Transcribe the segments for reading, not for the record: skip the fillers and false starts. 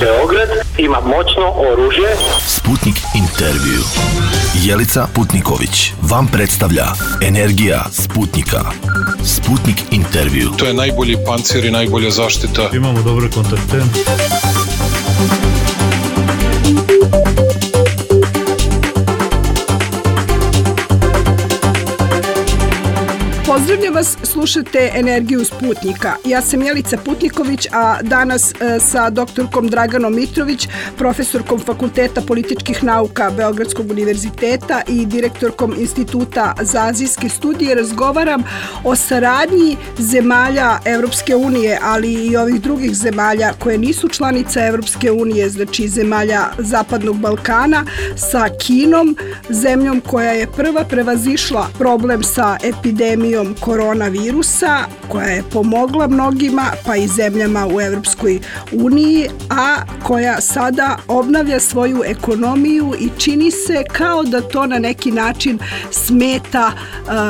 Beograd ima moćno oružje. Sputnik intervju. Jelica Putniković vam predstavlja Energija Sputnika. Sputnik intervju. To je najbolji pancir i najbolja zaštita. Imamo dobre kontakte. Pozdravljam vas, slušate Energiju Sputnika. Ja sam Jelica Putniković, a danas sa doktorkom Draganom Mitrović, profesorkom Fakulteta političkih nauka Beogradskog univerziteta i direktorkom Instituta za azijske studije razgovaram o saradnji zemalja Evropske unije, ali i ovih drugih zemalja koje nisu članice Evropske unije, znači zemalja Zapadnog Balkana, sa Kinom, zemljom koja je prva prevazišla problem sa epidemijom koronavirusa, koja je pomogla mnogima, pa i zemljama u Evropskoj uniji, a koja sada obnavlja svoju ekonomiju i čini se kao da to na neki način smeta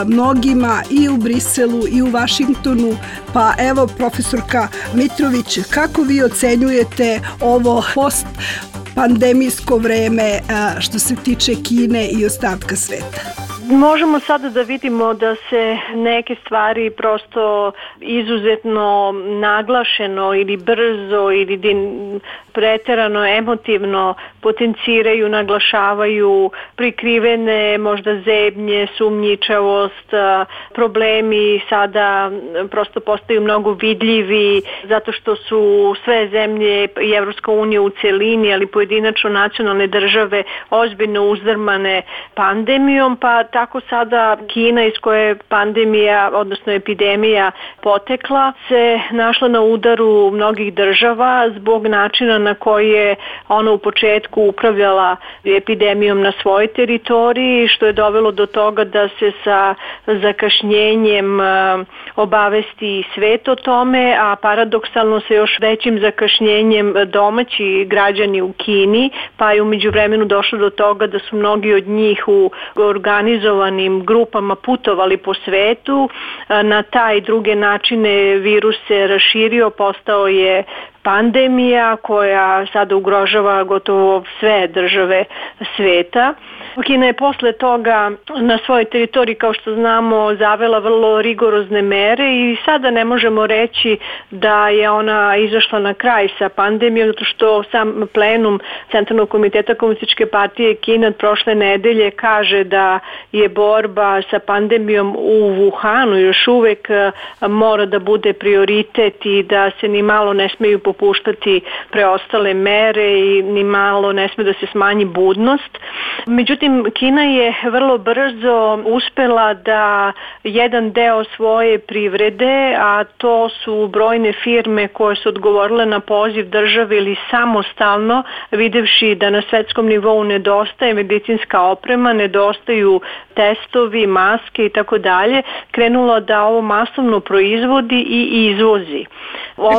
mnogima i u Briselu i u Vašingtonu. Pa evo, profesorka Mitrović, kako vi ocenjujete ovo post-pandemijsko vreme što se tiče Kine i ostatka sveta? Možemo sada da vidimo da se neke stvari prosto izuzetno naglašeno ili brzo ili preterano emotivno potenciraju, naglašavaju, prikrivene možda zebnje, sumnjičavost, problemi sada prosto postaju mnogo vidljivi zato što su sve zemlje i Evropska unija u celini, ali pojedinačno nacionalne države ozbiljno uzdrmane pandemijom, pa tako sada Kina iz koje je pandemija, odnosno epidemija potekla, se našla na udaru mnogih država zbog načina na koji je ona u početku upravljala epidemijom na svojoj teritoriji, što je dovelo do toga da se sa zakašnjenjem obavesti svet o tome, a paradoksalno sa još većim zakašnjenjem domaći građani u Kini, pa je u međuvremenu došlo do toga da su mnogi od njih u organizovanim grupama putovali po svetu. Na taj druge načine virus se raširio, postao je pandemija koja sada ugrožava gotovo sve države sveta. Kina je posle toga na svojoj teritoriji, kao što znamo, zavela vrlo rigorozne mere i sada ne možemo reći da je ona izašla na kraj sa pandemijom, zato što sam plenum Centralnog komiteta Komunističke partije Kine od prošle nedelje kaže da je borba sa pandemijom u Wuhanu još uvek mora da bude prioritet i da se ni malo ne smeju popuštati preostale mere i ni malo ne sme da se smanji budnost. Međutim, Kina je vrlo brzo uspela da jedan deo svoje privrede, a to su brojne firme koje su odgovorile na poziv države ili samostalno, videvši da na svetskom nivou nedostaje medicinska oprema, nedostaju testovi, maske i tako dalje, krenulo da ovo masovno proizvodi i izvozi.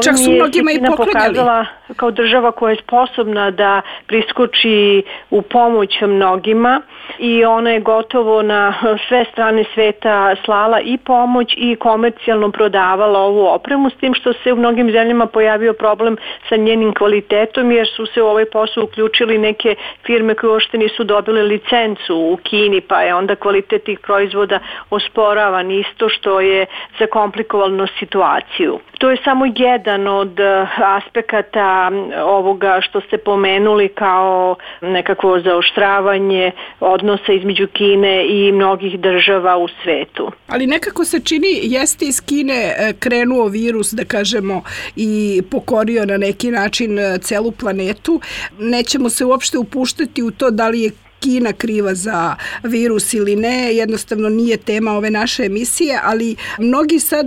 Čak su mnogima i pokazala kao država koja je sposobna da priskoči u pomoć mnogima i ona je gotovo na sve strane sveta slala i pomoć i komercijalno prodavala ovu opremu, s tim što se u mnogim zemljama pojavio problem sa njenim kvalitetom jer su se u ovaj posao uključili neke firme koje uopšte nisu dobile licencu u Kini, pa je onda kvalitet tih proizvoda osporavan, isto što je zakomplikovalo situaciju. To je samo jedan od aspekata ovoga što ste pomenuli kao nekakvo zaoštravanje odnosa između Kine i mnogih država u svetu. Ali nekako se čini, jeste iz Kine krenuo virus, da kažemo, i pokorio na neki način celu planetu. Nećemo se uopšte upuštati u to da li je Kina kriva za virus ili ne, jednostavno nije tema ove naše emisije, ali mnogi sad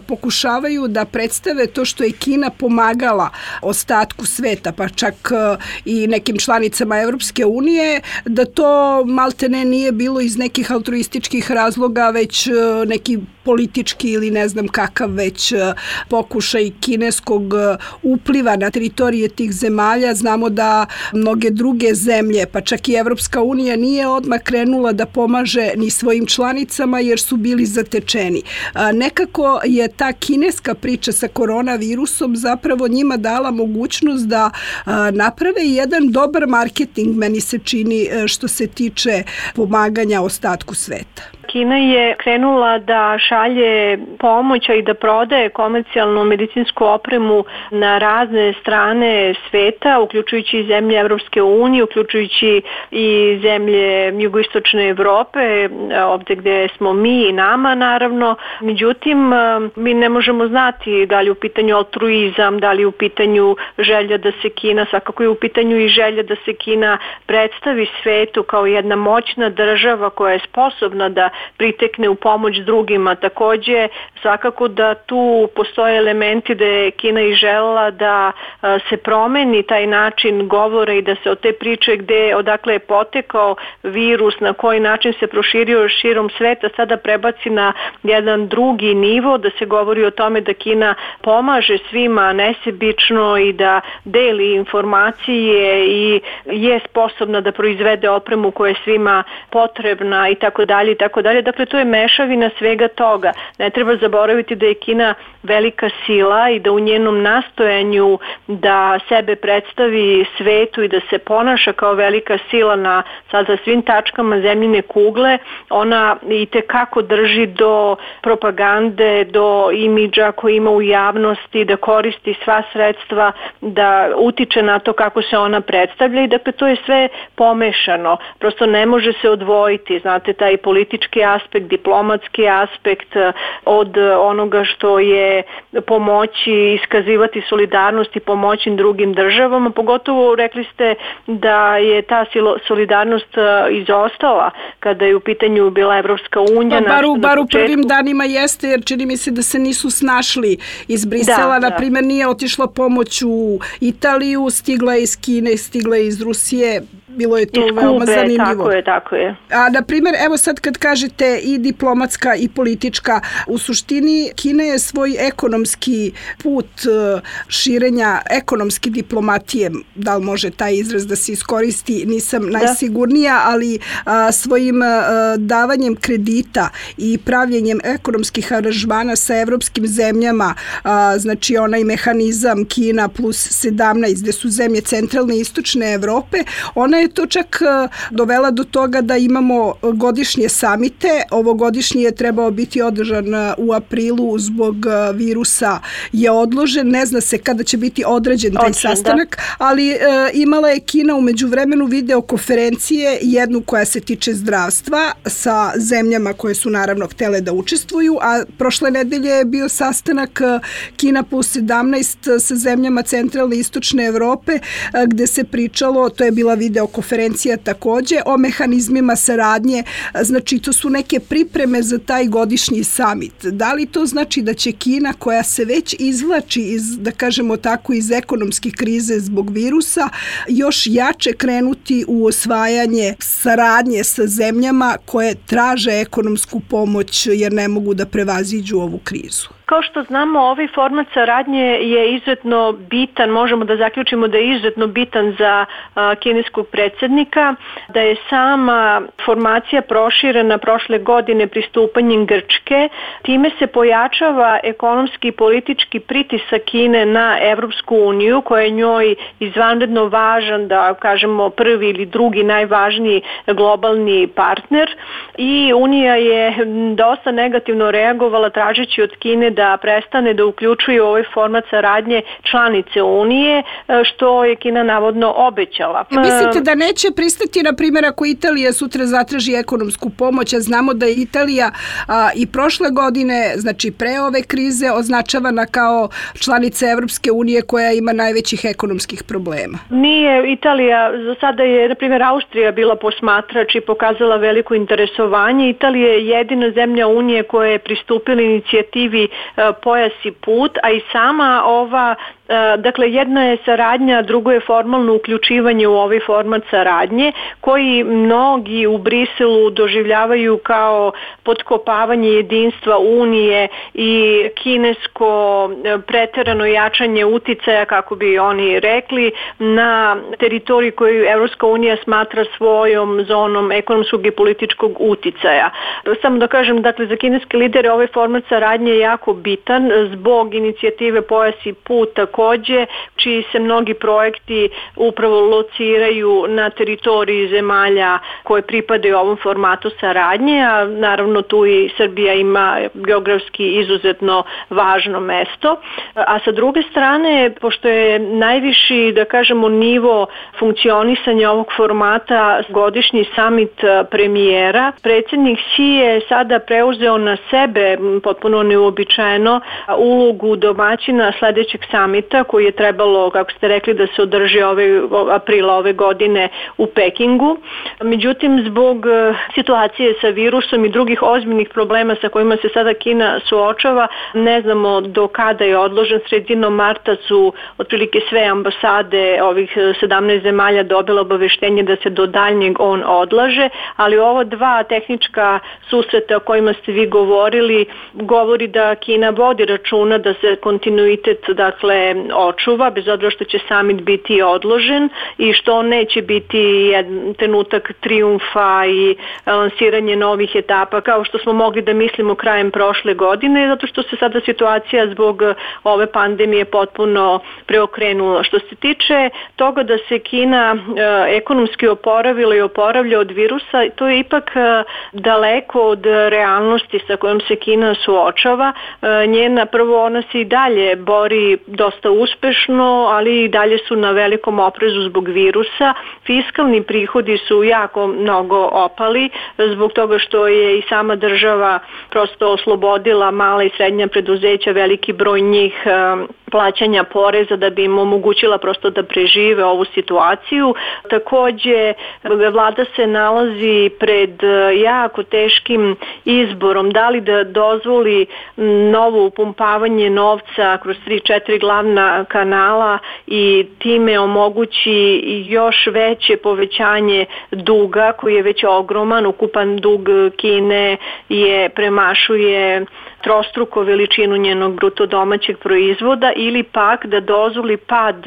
pokušavaju da predstave to što je Kina pomagala ostatku sveta, pa čak i nekim članicama Evropske unije, da to maltene nije bilo iz nekih altruističkih razloga, već neki politički ili ne znam kakav već pokušaj kineskog upliva na teritorije tih zemalja. Znamo da mnoge druge zemlje, pa čak i Evropska unija nije odmah krenula da pomaže ni svojim članicama jer su bili zatečeni. Nekako je ta kineska priča sa koronavirusom zapravo njima dala mogućnost da naprave jedan dobar marketing, meni se čini, što se tiče pomaganja ostatku sveta. Kina je krenula da šalje pomoć i da prodaje komercijalnu medicinsku opremu na razne strane sveta, uključujući i zemlje Evropske unije, uključujući i zemlje jugoistočne Evrope, ovdje gdje smo mi i nama naravno. Međutim, mi ne možemo znati da li je u pitanju altruizam, da li je u pitanju želja da se Kina, svakako je u pitanju i želja da se Kina predstavi svetu kao jedna moćna država koja je sposobna da pritekne u pomoć drugima. Također, svakako da tu postoje elementi da je Kina i želela da se promeni taj način govora i da se od te priče odakle je potekao virus, na koji način se proširio širom sveta, sada prebaci na jedan drugi nivo, da se govori o tome da Kina pomaže svima nesebično i da deli informacije i je sposobna da proizvede opremu koja je svima potrebna i tako dalje i tako dalje. Dakle, to je mešavina svega toga. Ne treba zaboraviti da je Kina velika sila i da u njenom nastojanju da sebe predstavi svetu i da se ponaša kao velika sila na sada svim tačkama zemljine kugle, ona i tekako drži do propagande, do imidža koji ima u javnosti, da koristi sva sredstva, da utiče na to kako se ona predstavlja i dakle to je sve pomešano. Prosto ne može se odvojiti, znate, taj politički aspekt, diplomatski aspekt od onoga što je pomoći, iskazivati solidarnost i pomoći drugim državama. Pogotovo rekli ste da je ta solidarnost izostala kada je u pitanju bila Evropska unija. Bar u prvim danima jeste, jer čini mi se da se nisu snašli iz Brisela. Na primjer, nije otišla pomoć u Italiju, stigla je iz Kine, stigla je iz Rusije. Bilo je to veoma zanimljivo. Tako je. A, na primjer, evo sad kad kažete i diplomatska i politička, u suštini Kina je svoj ekonomski put širenja ekonomske diplomatije, da li može taj izraz da se iskoristi, nisam najsigurnija, ali svojim davanjem kredita i pravljenjem ekonomskih aranžmana sa evropskim zemljama, znači onaj mehanizam Kina plus 17, gde su zemlje centralne i istočne Evrope, ona je to čak dovela do toga da imamo godišnje samite. Ovogodišnji je trebao biti održan u aprilu, zbog virusa je odložen. Ne zna se kada će biti određen taj sastanak, ali imala je Kina u međuvremenu videokonferencije, jednu koja se tiče zdravstva sa zemljama koje su naravno htele da učestvuju, a prošle nedelje je bio sastanak Kina plus 17 sa zemljama centralne i istočne Evrope, gde se pričalo, to je bila videokonferencija takođe, o mehanizmima saradnje. Znači, to su neke pripreme za taj godišnji samit. Da li to znači da će Kina, koja se već izvlači iz, da kažemo tako, iz ekonomske krize zbog virusa, još jače krenuti u osvajanje saradnje sa zemljama koje traže ekonomsku pomoć jer ne mogu da prevaziđu ovu krizu? Kao što znamo, ovaj format saradnje je izuzetno bitan, možemo da zaključimo da je izuzetno bitan za kineskog predsjednika, da je sama formacija proširena prošle godine pristupanjem Grčke. Time se pojačava ekonomski i politički pritisak Kine na Evropsku uniju, koja je njoj izvanredno važan, da kažemo prvi ili drugi najvažniji globalni partner, i Unija je dosta negativno reagovala tražeći od Kine da prestane da uključuje ovaj format saradnje članice Unije, što je Kina navodno obećala. Mislite da neće pristati, na primjer, ako Italija sutra zatraži ekonomsku pomoć, a znamo da je Italija i prošle godine, znači pre ove krize, označavana kao članica Evropske unije koja ima najvećih ekonomskih problema? Nije Italija, za sada je, na primjer, Austrija bila posmatrač i pokazala veliko interesovanje. Italija je jedina zemlja Unije koja je pristupila inicijativi Pojas i put, a i sama ova Dakle, jedna je saradnja, drugo je formalno uključivanje u ovaj format saradnje, koji mnogi u Briselu doživljavaju kao potkopavanje jedinstva Unije i kinesko preterano jačanje uticaja, kako bi oni rekli, na teritoriji koju Evropska unija smatra svojom zonom ekonomskog i političkog uticaja. Samo da kažem, dakle, za kineske lidere ovaj format saradnje je jako bitan zbog inicijative Pojas i put takođe, čiji se mnogi projekti upravo lociraju na teritoriji zemalja koje pripadaju ovom formatu saradnje, a naravno tu i Srbija ima geografski izuzetno važno mesto. A sa druge strane, pošto je najviši, da kažemo, nivo funkcionisanja ovog formata godišnji samit premijera, predsjednik Xi je sada preuzeo na sebe, potpuno neuobičajeno, ulogu domaćina sledećeg samita koji je trebalo, kako ste rekli, da se održi aprila ove godine u Pekingu. Međutim, zbog situacije sa virusom i drugih ozbiljnih problema sa kojima se sada Kina suočava, ne znamo do kada je odložen. Sredinom marta su otprilike sve ambasade ovih 17 zemalja dobile obaveštenje da se do daljnjeg on odlaže, ali ovo dva tehnička susreta o kojima ste vi govorili govori da Kina vodi računa da se kontinuitet, dakle, očuva, bez obzira što će samit biti odložen i što neće biti jedan trenutak trijumfa i lansiranje novih etapa kao što smo mogli da mislimo krajem prošle godine, zato što se sada situacija zbog ove pandemije potpuno preokrenula. Što se tiče toga da se Kina ekonomski oporavila i oporavlja od virusa, to je ipak daleko od realnosti sa kojom se Kina suočava. Prvo, ona se i dalje bori dosta uspešno, ali i dalje su na velikom oprezu zbog virusa. Fiskalni prihodi su jako mnogo opali zbog toga što je i sama država prosto oslobodila mala i srednja preduzeća, veliki broj njih plaćanja poreza da bi im omogućila prosto da prežive ovu situaciju. Takođe, vlada se nalazi pred jako teškim izborom, da li da dozvoli novo upumpavanje novca kroz 3-4 glavna kanala i time omogući još veće povećanje duga koji je već ogroman. Ukupan dug Kine premašuje trostruko veličinu njenog bruto domaćeg proizvoda, ili pak da dozvoli pad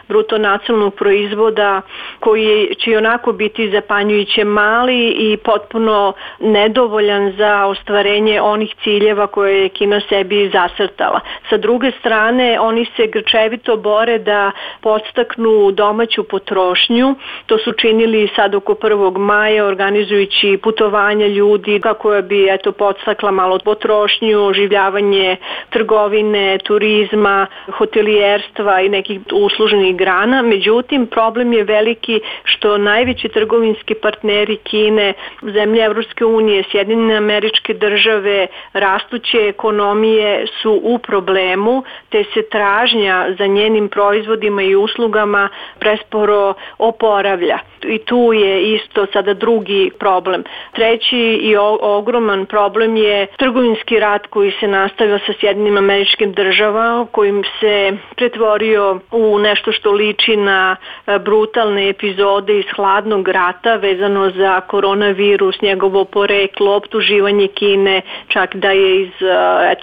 bruto nacionalnog proizvoda koji će i onako biti zapanjujuće mali i potpuno nedovoljan za ostvarenje onih ciljeva koje je Kina sebi zacrtala. Sa druge strane, oni se grčevito bore da podstaknu domaću potrošnju. To su činili sad oko 1. maja organizujući putovanja ljudi kako bi podstakla malo potrošnju, oživljavanje trgovine, turizma, hotelijerstva i nekih uslužnih grana. Međutim, problem je veliki što najveći trgovinski partneri Kine, zemlje Evropske unije, Sjedinjene Američke Države, rastuće ekonomije su u problemu, te se tražnja za njenim proizvodima i uslugama presporo oporavlja. I tu je isto sada drugi problem. Treći i ogroman problem je trgovinski rat koji se nastavio sa Sjedinjenim Američkim Državama, kojim se pretvorio u nešto što liči na brutalne epizode iz hladnog rata vezano za koronavirus, njegovo poreklo, optuživanje Kine, čak da je iz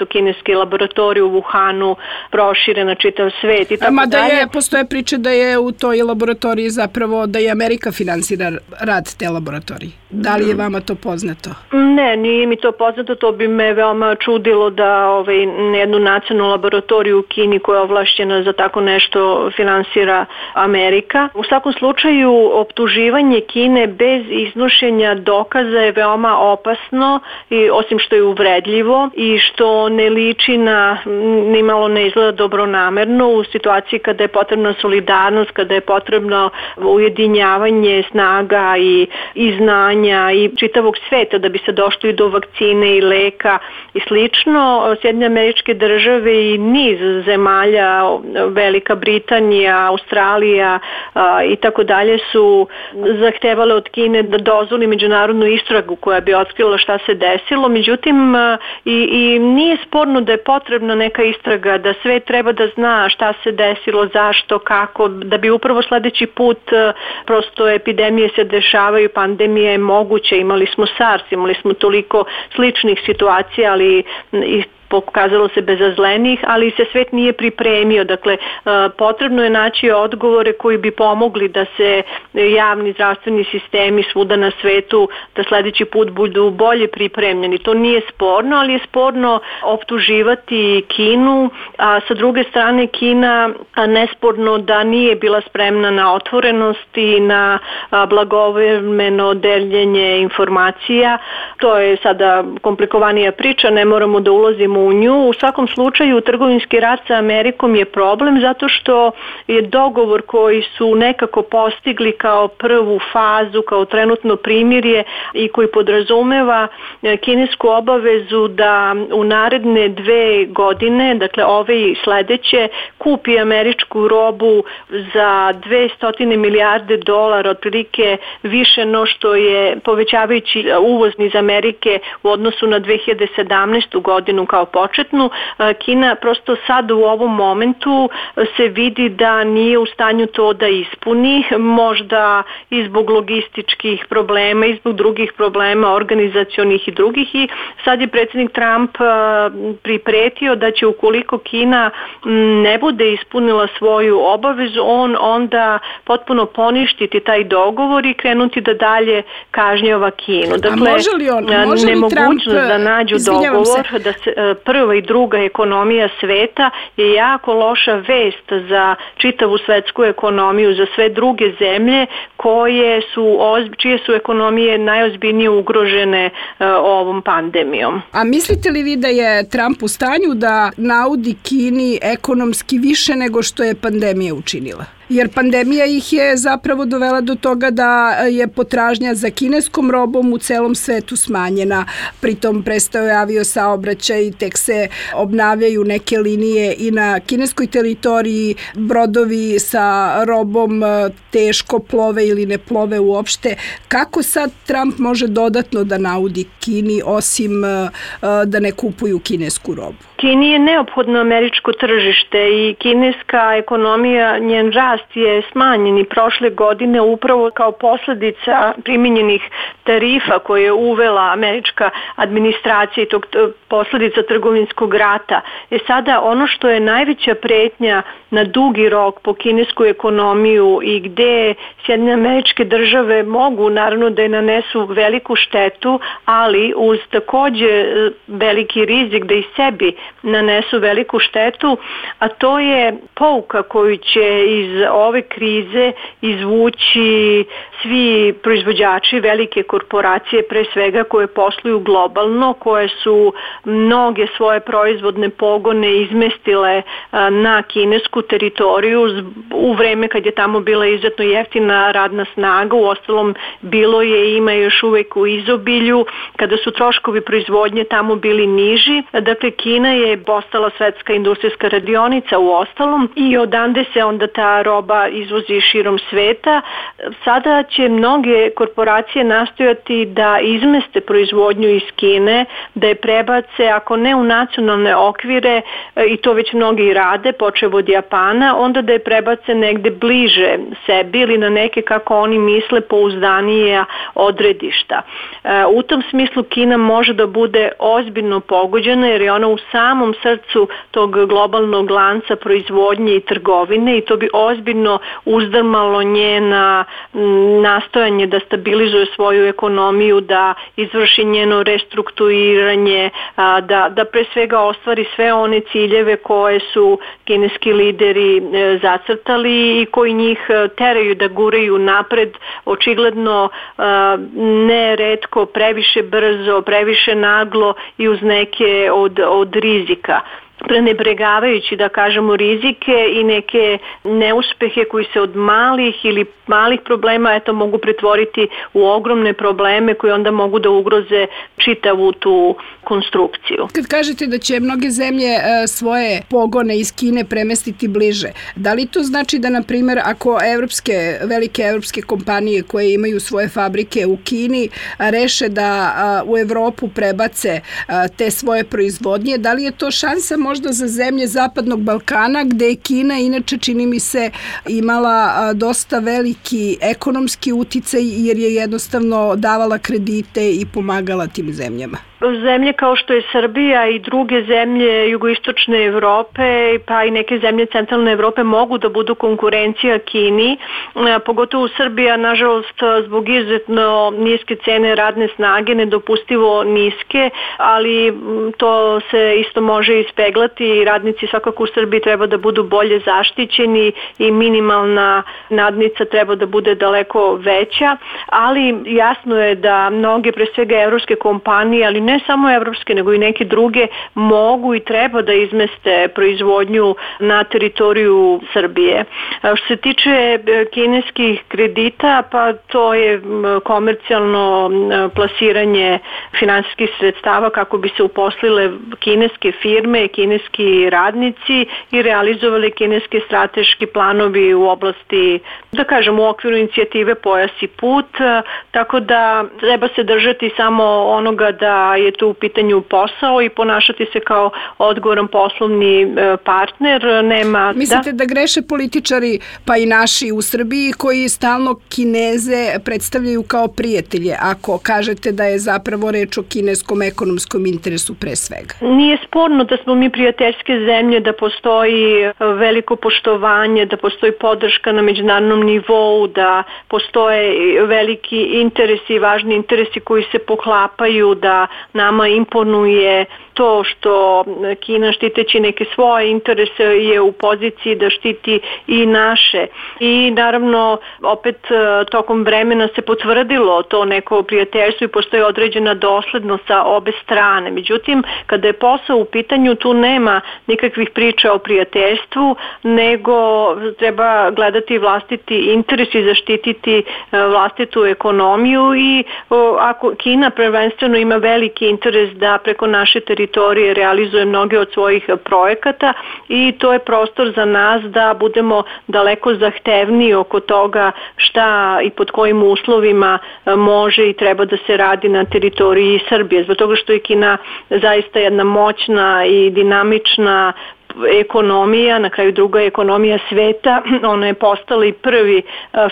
kineske laboratorije u Wuhanu proširena čitav svet i tako dalje. Postoje priče da je u toj laboratoriji zapravo da je Amerika finansira rad te laboratorije. Da li je vama to poznato? Ne, nije mi to poznato, to bi me veoma čudilo da jednu nacionalnu laboratoriju u Kini koja je ovlašćena za tako nešto finansira Amerika. U svakom slučaju, optuživanje Kine bez iznošenja dokaza je veoma opasno, i osim što je uvredljivo i što ne liči nimalo ne izgleda dobronamerno u situaciji kada je potrebna solidarnost, kada je potrebno ujedinjavanje snaga i znanja i čitavog sveta da bi se došlo i do vakcine i leka i slično. Sjedinjene Američke Države i niz zemalja zemalja, Velika Britanija, Australija i tako dalje su zahtevale od Kine da dozvoli međunarodnu istragu koja bi otkrila šta se desilo. Međutim, i nije sporno da je potrebna neka istraga, da sve treba da zna šta se desilo, zašto, kako, da bi upravo sledeći put, prosto epidemije se dešavaju, pandemija je moguća, imali smo SARS, imali smo toliko sličnih situacija, ali i pokazalo se bezazlenih, ali se svet nije pripremio. Dakle, potrebno je naći odgovore koji bi pomogli da se javni zdravstveni sistemi svuda na svetu da sledeći put budu bolje pripremljeni. To nije sporno, ali je sporno optuživati Kinu, a sa druge strane Kina nesporno da nije bila spremna na otvorenost i na blagovremeno deljenje informacija. To je sada komplikovanija priča, ne moramo da ulazimo u nju. U svakom slučaju trgovinski rat sa Amerikom je problem zato što je dogovor koji su nekako postigli kao prvu fazu, kao trenutno primirje i koji podrazumeva kinesku obavezu da u naredne 2 godine, dakle ove i sledeće, kupi američku robu za $200 milijarde, otprilike više no što je povećavajući uvoz iz Amerike u odnosu na 2017. godinu kao početnu. Kina prosto sad u ovom momentu se vidi da nije u stanju to da ispuni, možda i zbog logističkih problema i zbog drugih problema organizacionih i drugih, i sad je predsjednik Trump pripretio da će ukoliko Kina ne bude ispunila svoju obavezu, on onda potpuno poništiti taj dogovor i krenuti da dalje kažnjava Kinu. Dakle, nemogućnost da nađu dogovor, da se prva i druga ekonomija sveta je jako loša vest za čitavu svetsku ekonomiju, za sve druge zemlje čije su ekonomije najozbiljnije ugrožene ovom pandemijom. A mislite li vi da je Trump u stanju da naudi Kini ekonomski više nego što je pandemija učinila? Jer pandemija ih je zapravo dovela do toga da je potražnja za kineskom robom u celom svetu smanjena. Pritom prestao je aviosaobraćaj, tek se obnavljaju neke linije i na kineskoj teritoriji, brodovi sa robom teško plove ili ne plove uopšte. Kako sad Trump može dodatno da naudi Kini osim da ne kupuju kinesku robu? Kini je neophodno američko tržište i kineska ekonomija, njen rast je smanjen i prošle godine upravo kao posljedica primjenjenih tarifa koje je uvela američka administracija i tog posljedica trgovinskog rata. Sada ono što je najveća pretnja na dugi rok po kinesku ekonomiju i gde Sjedinjene Američke Države mogu naravno da je nanesu veliku štetu, ali uz takođe veliki rizik da i sebi nanesu veliku štetu, a to je pouka koju će iz ove krize izvući svi proizvođači, velike korporacije pre svega koje posluju globalno, koje su mnoge svoje proizvodne pogone izmestile na kinesku teritoriju u vreme kad je tamo bila izuzetno jeftina radna snaga, uostalom bilo je i ima još uvek u izobilju, kada su troškovi proizvodnje tamo bili niži. Dakle, Kina je postala svetska industrijska radionica u ostalom i odande se onda ta roba izvozi širom sveta. Sada će mnoge korporacije nastojati da izmeste proizvodnju iz Kine, da je prebace, ako ne u nacionalne okvire, i to već mnogi rade, počev od Japana, onda da je prebace negde bliže sebi ili na neke, kako oni misle, pouzdanije odredišta. U tom smislu Kina može da bude ozbiljno pogođena jer je ona u samom srcu tog globalnog lanca proizvodnje i trgovine i to bi ozbiljno uzdrmalo njena nastojanje da stabilizuje svoju ekonomiju, da izvrši njeno restrukturiranje, da pre svega ostvari sve one ciljeve koje su kineski lideri zacrtali i koji njih teraju da guraju napred, očigledno neretko previše brzo, previše naglo i uz neke od rizika. prenebregavajući, da kažemo, rizike i neke neuspehe koji se od malih problema mogu pretvoriti u ogromne probleme koji onda mogu da ugroze čitavu tu konstrukciju. Kad kažete da će mnoge zemlje svoje pogone iz Kine premestiti bliže, da li to znači da, na primjer, ako velike evropske kompanije koje imaju svoje fabrike u Kini reše da u Evropu prebace te svoje proizvodnje, da li je to šansa možda za zemlje Zapadnog Balkana, gde je Kina inače, čini mi se, imala dosta veliki ekonomski uticaj jer je jednostavno davala kredite i pomagala tim zemljama? Zemlje kao što je Srbija i druge zemlje jugoistočne Evrope, pa i neke zemlje centralne Evrope mogu da budu konkurencija Kini, pogotovo Srbija, nažalost, zbog izuzetno niske cene radne snage, nedopustivo niske, ali to se isto može ispeglati i radnici svakako u Srbiji treba da budu bolje zaštićeni i minimalna nadnica treba da bude daleko veća, ali jasno je da mnoge, pre svega evropske kompanije, ali ne samo evropske, nego i neke druge, mogu i treba da izmeste proizvodnju na teritoriju Srbije. Što se tiče kineskih kredita, pa to je komercijalno plasiranje finansijskih sredstava kako bi se uposlile kineske firme, kineski radnici i realizovali kineske strateški planovi u oblasti, da kažem, u okviru inicijative Pojas i put, tako da treba se držati samo onoga da je tu u pitanju posao i ponašati se kao odgovoran poslovni partner. Mislite da greše političari, pa i naši u Srbiji, koji stalno Kineze predstavljaju kao prijatelje, ako kažete da je zapravo reč o kineskom ekonomskom interesu pre svega? Nije sporno da smo mi prijateljske zemlje, da postoji veliko poštovanje, da postoji podrška na međunarodnom nivou, da postoje veliki interesi i važni interesi koji se poklapaju, da nama imponuje to što Kina, štiteći neke svoje interese, je u poziciji da štiti i naše. I naravno, opet tokom vremena se potvrdilo to neko prijateljstvo i postoji određena doslednost sa obe strane. Međutim, kada je posao u pitanju, tu nema nikakvih priča o prijateljstvu, nego treba gledati vlastiti interes i zaštititi vlastitu ekonomiju i ako Kina prvenstveno ima veliki interes da preko naše teritorije realizuje mnoge od svojih projekata i to je prostor za nas da budemo daleko zahtevniji oko toga šta i pod kojim uslovima može i treba da se radi na teritoriji Srbije. Zbog toga što je Kina zaista jedna moćna i dinamična ekonomija, na kraju druga ekonomija sveta, ona je postala i prvi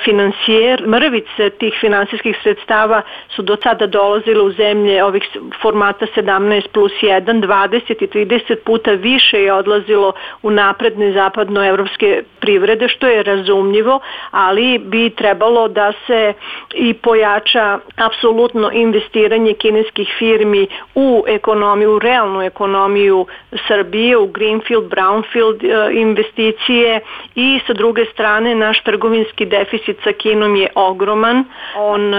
finansijer. Mrvice tih finansijskih sredstava su do sada dolazile u zemlje ovih formata 17+1, 20 i 30 puta više je odlazilo u napredne zapadnoevropske privrede, što je razumljivo, ali bi trebalo da se i pojača apsolutno investiranje kineskih firmi u ekonomiju, u realnu ekonomiju Srbije, u greenfield, brownfield investicije i sa druge strane naš trgovinski deficit sa Kinom je ogroman. On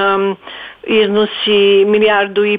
iznosi $1,5 milijardi.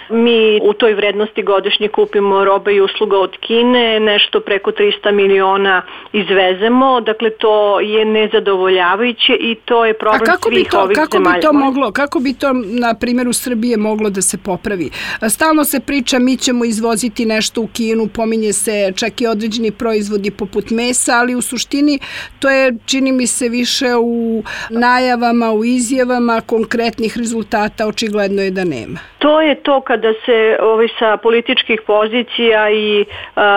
Mi u toj vrednosti godišnje kupimo roba i usluga od Kine, nešto preko 300 miliona izvezemo, dakle to je nezadovoljavajuće i to je problem svih ovih zemalja. Kako bi to, na primjer, u Srbije moglo da se popravi? Stalno se priča, mi ćemo izvoziti nešto u Kinu, pominje se čak i određeni proizvodi poput mesa, ali u suštini to je, čini mi se, više u najavama, u izjavama, konkretnih rezultata očigledno je da nema. To je to kada se sa političkih pozicija i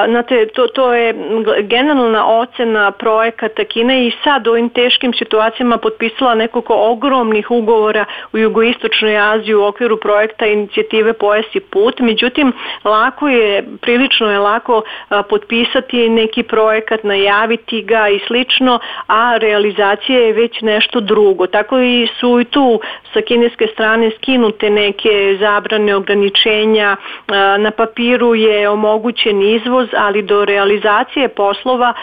znate, to je generalna ocena projekata Kine i sad u ovim teškim situacijama potpisala nekoliko ogromnih ugovora u jugoistočnoj Aziji u okviru projekta inicijative Pojas i put. Međutim, prilično je lako potpisati neki projekat, najaviti ga i slično, a realizacija je već nešto drugo. Tako i su i tu sa kineske strane skinute neke zabrane, ograničenja, na papiru je omogućen izvoz, ali do realizacije poslova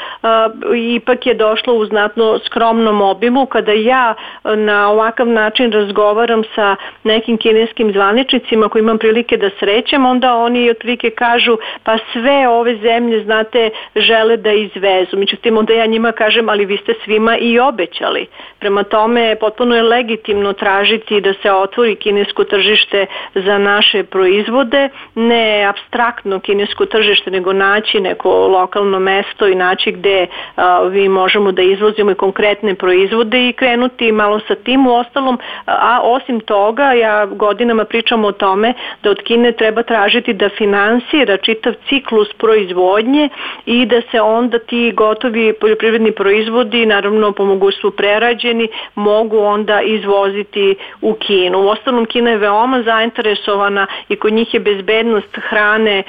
ipak je došlo u znatno skromnom obimu. Kada ja na ovakav način razgovaram sa nekim kineskim zvaničnicima koji imam prilike da srećem, onda oni otprilike kažu pa sve ove zemlje, znate, žele da izvezu. Međutim, onda ja njima kažem, ali vi ste svima i obećali. Prema tome, potpuno je legitimno tražiti da se otvori kinesko tržište za naše proizvode, ne apstraktno kinesko tržište, nego naći neko lokalno mesto i naći gde mi možemo da izvozimo i konkretne proizvode i krenuti malo sa tim. U ostalom, a osim toga, ja godinama pričam o tome da od Kine treba tražiti da finansira čitav ciklus proizvodnje i da se onda ti gotovi poljoprivredni proizvodi, naravno po mogućstvu prerađeni, mogu onda izvoziti u Kinu. U ostalom, Kina je veoma zainteresovana i kod njih je bezbednost hrane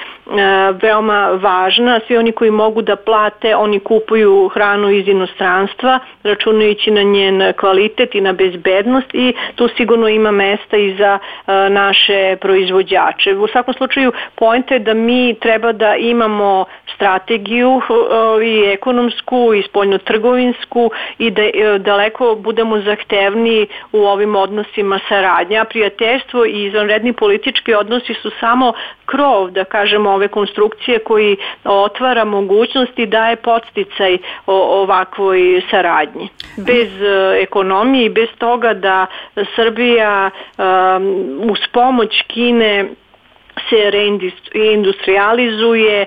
veoma važna. Svi oni koji mogu da plate, oni kupuju hranu iz inostranstva, računajući na njen kvalitet i na bezbednost, i tu sigurno ima mesta i za naše proizvođače. U svakom slučaju, poenta je da mi treba da imamo strategiju i ekonomsku i spoljnotrgovinsku i da daleko budemo zahtevniji u ovim odnosima saradnje. A prijateljstvo i izvanredni politički odnosi su samo krov, da kažemo, ove konstrukcije koji otvara mogućnost i daje podsticaj ovakvoj saradnji. Bez ekonomije i bez toga da Srbija uz pomoć Kine se reindustrializuje,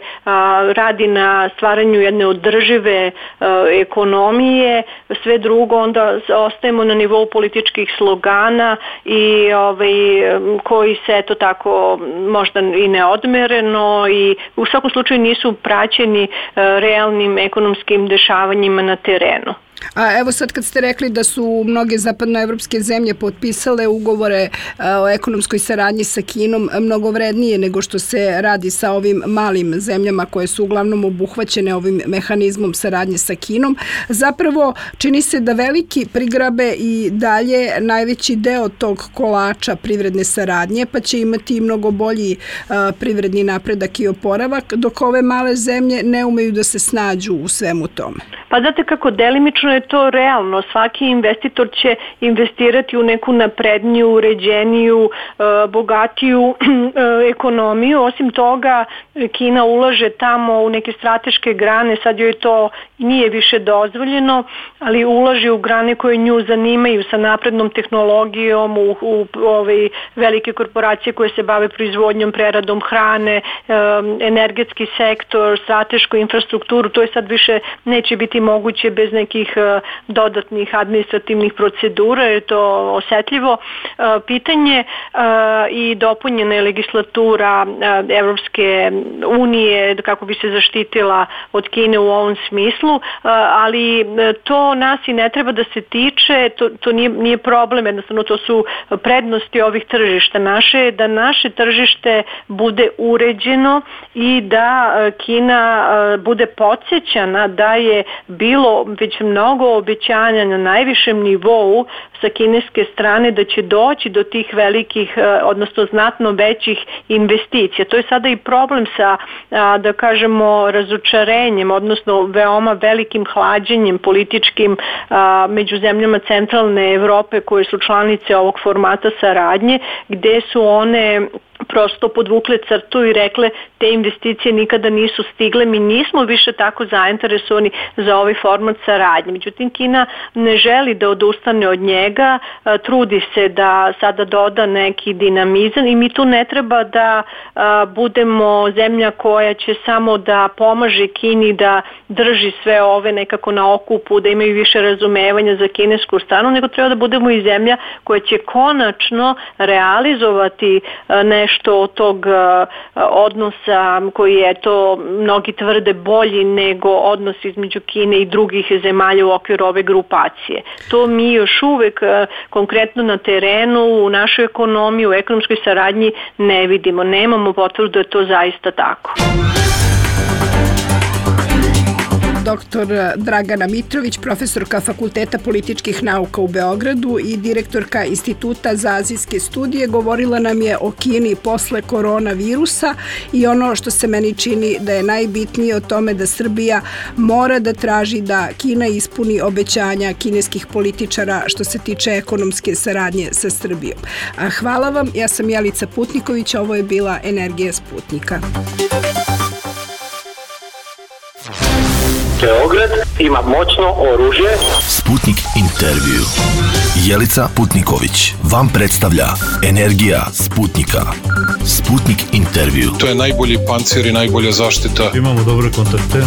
radi na stvaranju jedne održive ekonomije, sve drugo onda ostajemo na nivou političkih slogana i koji se eto tako možda i neodmereno i u svakom slučaju nisu praćeni realnim ekonomskim dešavanjima na terenu. A evo sad kad ste rekli da su mnoge zapadnoevropske zemlje potpisale ugovore o ekonomskoj saradnji sa Kinom mnogo vrednije nego što se radi sa ovim malim zemljama koje su uglavnom obuhvaćene ovim mehanizmom saradnje sa Kinom, zapravo čini se da veliki prigrabe i dalje najveći deo tog kolača privredne saradnje, pa će imati i mnogo bolji privredni napredak i oporavak, dok ove male zemlje ne umeju da se snađu u svemu tome. Pa znate kako, delimično je to realno. Svaki investitor će investirati u neku napredniju, uređeniju, bogatiju ekonomiju. Osim toga, Kina ulaže tamo u neke strateške grane, sad joj to nije više dozvoljeno, ali ulaže u grane koje nju zanimaju sa naprednom tehnologijom, u ove velike korporacije koje se bave proizvodnjom, preradom hrane, energetski sektor, stratešku infrastrukturu. To je sad više neće biti moguće bez nekih dodatnih administrativnih procedura, jer je to osetljivo pitanje i dopunjena je legislatura Evropske unije kako bi se zaštitila od Kine u ovom smislu, ali to nas i ne treba da se tiče, to nije problem, jednostavno to su prednosti ovih tržišta. Da naše tržište bude uređeno i da Kina bude podsjećana da je bilo već mnogo obećanja na najvišem nivou sa kineske strane da će doći do tih velikih, odnosno znatno većih investicija. To je sada i problem sa, da kažemo, razočarenjem, odnosno veoma velikim hlađenjem političkim među zemljama centralne Evrope koje su članice ovog formata saradnje, gde su one prosto podvukle crtu i rekle te investicije nikada nisu stigle, mi nismo više tako zainteresovani za ovaj format saradnje. Međutim, Kina ne želi da odustane od njega, trudi se da sada doda neki dinamizam i mi tu ne treba da budemo zemlja koja će samo da pomaže Kini da drži sve ove nekako na okupu, da imaju više razumevanja za kinesku stranu, nego treba da budemo i zemlja koja će konačno realizovati nešto od tog odnosa koji je to mnogi tvrde bolji nego odnos između Kine i drugih zemalja u okviru ove grupacije. To mi još uvek konkretno na terenu, u našoj ekonomiji, u ekonomskoj saradnji ne vidimo. Nemamo potvrdu da je to zaista tako. dr. Dragana Mitrović, profesorka Fakulteta političkih nauka u Beogradu i direktorka Instituta za azijske studije. Govorila nam je o Kini posle koronavirusa i ono što se meni čini da je najbitnije o tome da Srbija mora da traži da Kina ispuni obećanja kineskih političara što se tiče ekonomske saradnje sa Srbijom. Hvala vam, ja sam Jelica Putniković, ovo je bila Energija Sputnika. Beograd ima moćno oružje. Sputnik intervju. Jelica Putniković vam predstavlja Energija Sputnika. Sputnik intervju. To je najbolji pancir i najbolja zaštita. Imamo dobre kontakte.